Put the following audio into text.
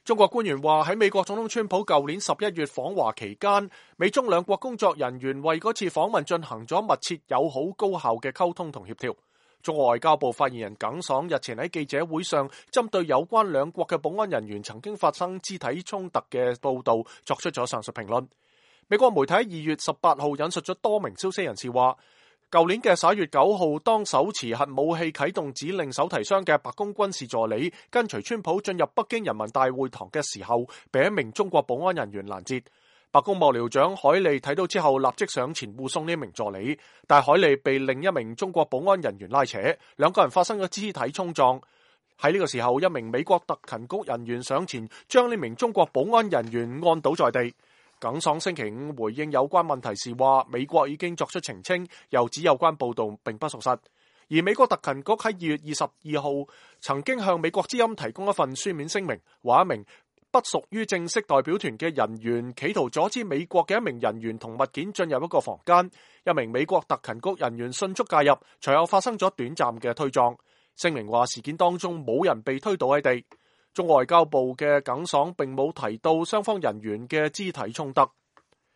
中國官員話喺美國總統川普舊年11月訪華期間，美中兩國工作人員為嗰次訪問進行咗密切、友好、高效嘅溝通同協調。中國外交部發言人耿爽日前喺記者會上，針對有關兩國嘅保安人員曾經發生肢體衝突嘅報道作出咗上述評論。美國媒體2月18號引述咗多名消息人士話，舊年嘅11月9號，當手持核武器啟動指令手提箱嘅白宮軍事助理跟隨川普進入北京人民大會堂嘅時候，被一名中國保安人員攔截。白宮幕僚長海利睇到之後，立即上前護送呢名助理，但海利被另一名中國保安人員拉扯，兩個人發生咗肢體衝撞。喺呢個時候，一名美國特勤局人員上前將呢名中國保安人員按倒在地。耿爽星期五回應有關問題時話，美國已經作出澄清，又指有關報道並不屬實。而美國特勤局喺2月22號曾經向美國之音提供一份書面聲明，話一名不屬於正式代表團嘅人員企圖阻止美國嘅一名人員同物件進入一個房間，一名美國特勤局人員迅速介入，隨後發生咗短暫嘅推撞。聲明話事件當中冇人被推倒喺地。中國外交部嘅耿爽並冇提到雙方人員嘅肢體衝突。